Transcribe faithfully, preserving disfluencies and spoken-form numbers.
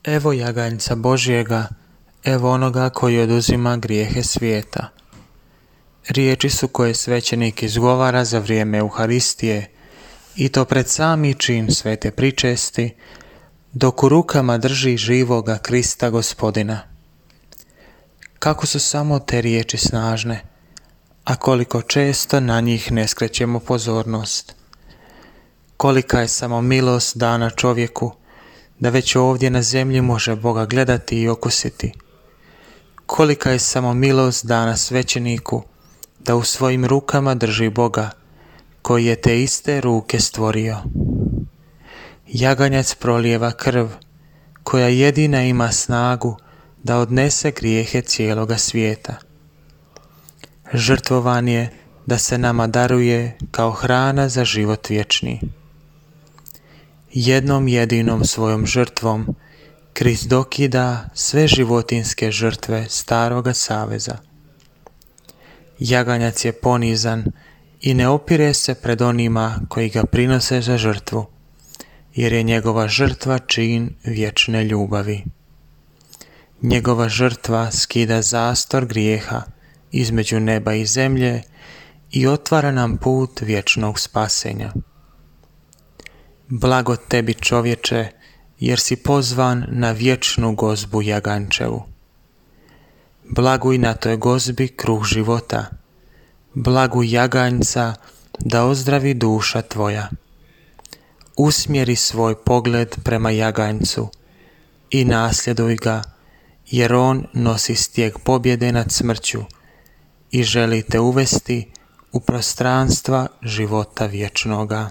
Evo jaganjca Božjega, evo onoga koji oduzima grijehe svijeta. Riječi su koje svećenik izgovara za vrijeme Euharistije, i to pred sami čin svete pričesti, dok u rukama drži živoga Krista Gospodina. Kako su samo te riječi snažne, a koliko često na njih ne skrećemo pozornost. Kolika je samo milost dana čovjeku, da već ovdje na zemlji može Boga gledati i okusiti. Kolika je samo milost dana svećeniku, da u svojim rukama drži Boga, koji je te iste ruke stvorio. Jaganjac prolijeva krv, koja jedina ima snagu da odnese grijehe cijeloga svijeta. Žrtvovan je da se nama daruje kao hrana za život vječni. Jednom jedinom svojom žrtvom Krist dokida sve životinske žrtve staroga saveza. Jaganjac je ponizan i ne opire se pred onima koji ga prinose za žrtvu, jer je njegova žrtva čin vječne ljubavi. Njegova žrtva skida zastor grijeha između neba i zemlje i otvara nam put vječnog spasenja. Blago tebi, čovječe, jer si pozvan na vječnu gozbu jagančevu. Blaguj na toj gozbi kruh života, blaguj jaganjca da ozdravi duša tvoja. Usmjeri svoj pogled prema jaganjcu i nasljeduj ga, jer on nosi stijeg pobjede nad smrću i želi te uvesti u prostranstva života vječnoga.